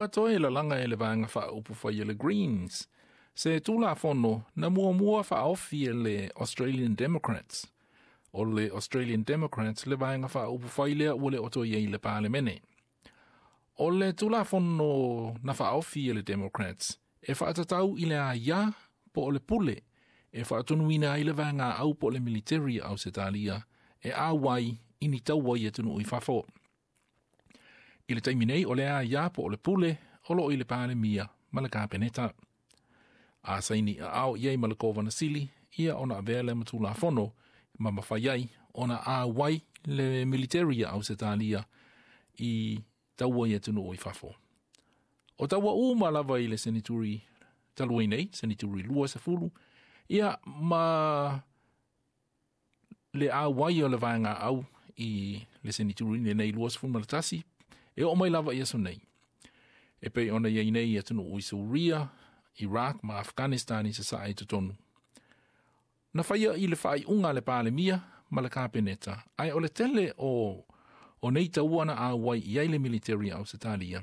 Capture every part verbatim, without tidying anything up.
Toe lalaga e le Vaega Faaupufai a le Greens se Tulafono na muamua faaofi e le Australian Democrats. O le Australian Democrats le Vaega Faaupufai lea ua le o toe i ai i le Palemene. O le Tulafono na faaofi e le Democrats e faatatau i le aiā po o le pule e faatonuina ai le vaega au po o le militeri a Ausetalia e auai i ni taua i atunuu i fafo. I le taimi nei o le aiā po o le pule o loo i le Palemia ma le Kapeneta. A saini aao i ai ma le Kovana Sili ia ona avea lea ma Tulafono ma mafai ai ona auai le militeri a Ausetalia i taua i atunuu i fafo. O taua uma lava i le senituri talu ai nei, senituri lua sefulu, ia ma le auai o le vaega au i le senituri lenei lua sefulu ma le tasi, e oo mai lava i aso nei. E pei ona i ai nei i atunuu i Suria, Iraq ma Afghanistan i sasae i totonu. Na faia i le faaiuga a le Palemia ma le Kapeneta, ae o le tele o, o nei taua na auai i ai le militeri a Ausetalia.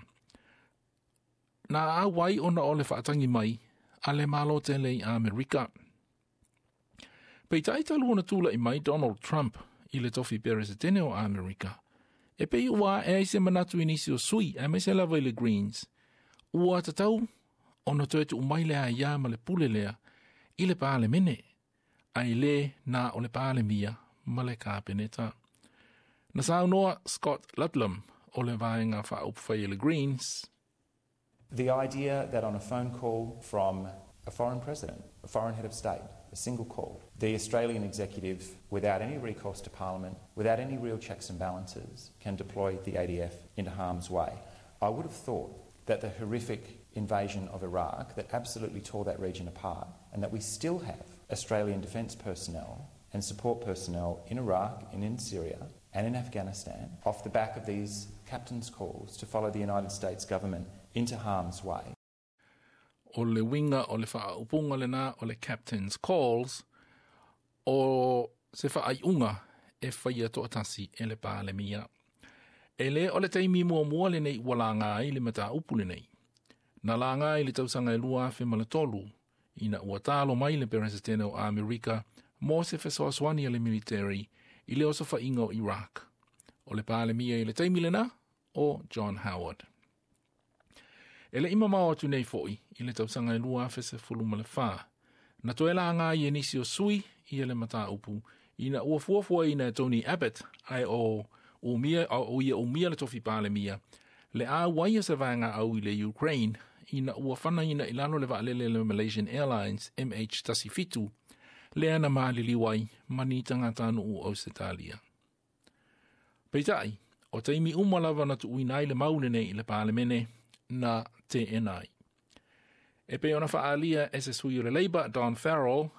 Na auai ona o le faatagi mai a le Malo tele i Amerika. Peitai talu ona tula'i mai Donald Trump i le tofi Peresetene o Amerika, e pei ua ae ai se manatu i nisi o sui, aemaise lava i le Greens, ua tatau ona toe tuu mai le aiā ma le pule lea i le Palemene, ae le na o le Palemia ma le Kapeneta. Na saunoa Scott Ludlam o le Vaega Faaupufai a le Greens. The idea that on a phone call from a foreign president, a foreign head of state, a single call, the Australian executive, without any recourse to Parliament, without any real checks and balances, can deploy the A D F into harm's way. I would have thought that the horrific invasion of Iraq that absolutely tore that region apart, and that we still have Australian defence personnel and support personnel in Iraq and in Syria and in Afghanistan off the back of these captain's calls to follow the United States government into harm's way. O le uiga o le faaupuga lena o le captain's calls, o se faaiuga e faia toatasi e le Palemia. E le o le taimi muamua lenei ua laga ai le mataupu lenei. Na laga i le tausaga e lua afe ma le tolu, ina ua talo mai le Peresetene o Amerika mo se fesoasoani a le militeri i le osofaiga o Iraq. O le Palemia i le taimi lena o John Howard. E le i mamao atu nei foi i le tausaga e lua afe sefulu ma le fa. Na toe laga ai e nisi o sui ia le mataupu ina ua fuafuaina e Tony Abbott ae o umia, o ia umia le tofi Palemia le auai o se vaega au i le Ukraine ina ua fanaina i lalo le vaalele le Malaysian Airlines M H seventeen lea na maliliu ai ma ni tagatanuu o Ausetalia. Peitai, o taimi uma lava na tuuina ai le mau lenei i le Palemene na teena ai. E pei ona faaalia e se sui o le Labour, Don Farrell,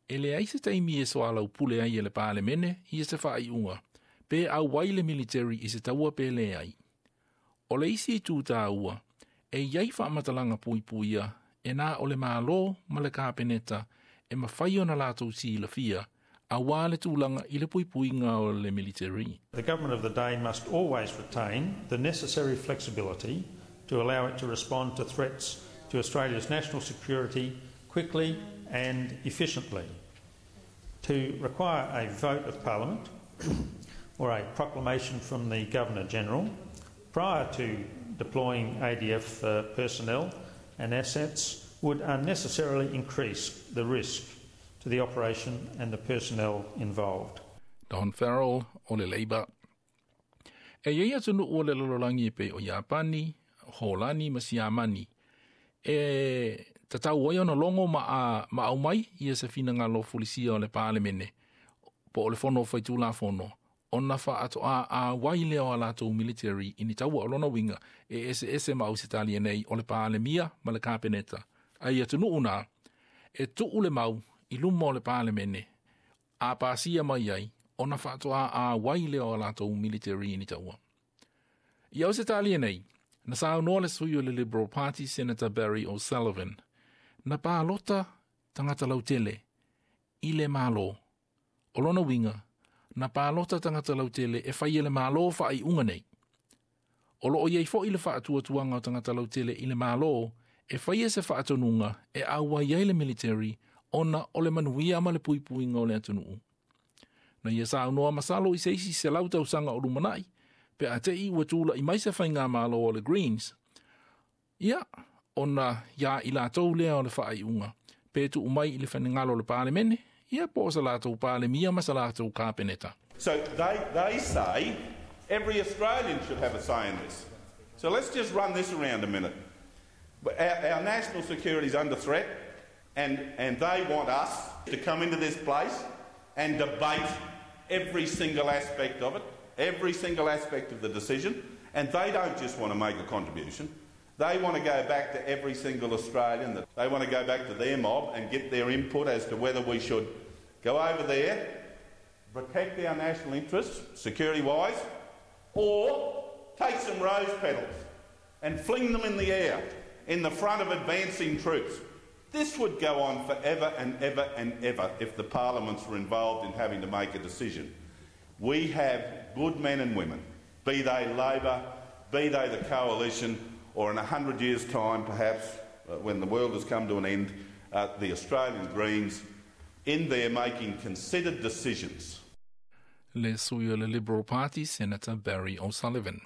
e leai se taimi e soalaupule ai e le Palemene ia se faaiuga, pe auai le militeri i se taua pe leai. O le isi itu taua, e iai faamatalaga puipuia e na o le Malo ma le Kapeneta e mafai ona latou silafia auā le tulaga i le puipuiga o le militeri. The government of the day must always retain the necessary flexibility to allow it to respond to threats to Australia's national security quickly and efficiently. To require a vote of Parliament or a proclamation from the Governor General prior to deploying A D F uh, personnel and assets would unnecessarily increase the risk to the operation and the personnel involved. Don Farrell o le Labour. E iai atunuu o le lalolagi e pei o Iapani, Holani ma Siamani e tatau ai ona logo ma, a, ma aumai ia se finagalo fulisia o le Palemene po o le Fono Faitulafono ona faatoa auai lea o a latou military i ni taua. O lona uiga e eseese ma Ausetalia nei, o le Palemia ma le Kapeneta. Ai atunuu na e tuu le mau i luma o le Palemene a pasia mai ai ona faatoa auai lea o a latou military i ni taua. I Ausetalia nei, na saunoa le sui o le Liberal Party, Senator Barry O'Sullivan, na palota tagata lautele i le Malo. O lona uiga, na palota tagata lautele e fai e le Malo faaiuga nei. O loo iai fo'i le faatuatuaga o tagata lautele i le Malo e faia se faatonuga e auai ai le military ona o le manuia ma le puipuiga o le atunuu. Na ia saunoa masalo i se isi selau tausaga o lumanai, pe a te i ua tula'i mai se faigamalo o le Greens. Ia, ona ia i latou lea o le faaiuga, pe tuu mai i le finagalo o le Palemene, ia po o sa latou Palemia ma sa latou Kapeneta. So they, they say every Australian should have a say in this. So let's just run this around a minute. Our, our national security is under threat, and, and they want us to come into this place and debate every single aspect of it, every single aspect of the decision. And they don't just want to make a contribution. They want to go back to every single Australian. They want to go back to their mob and get their input as to whether we should go over there, protect our national interests, security-wise, or take some rose petals and fling them in the air in the front of advancing troops. This would go on forever and ever and ever if the parliaments were involved in having to make a decision. We have good men and women, be they Labor, be they the coalition, or in a hundred years' time, perhaps, uh, when the world has come to an end, uh, the Australian Greens in there making considered decisions. Le sui o le Liberal Party, Senator Barry O'Sullivan.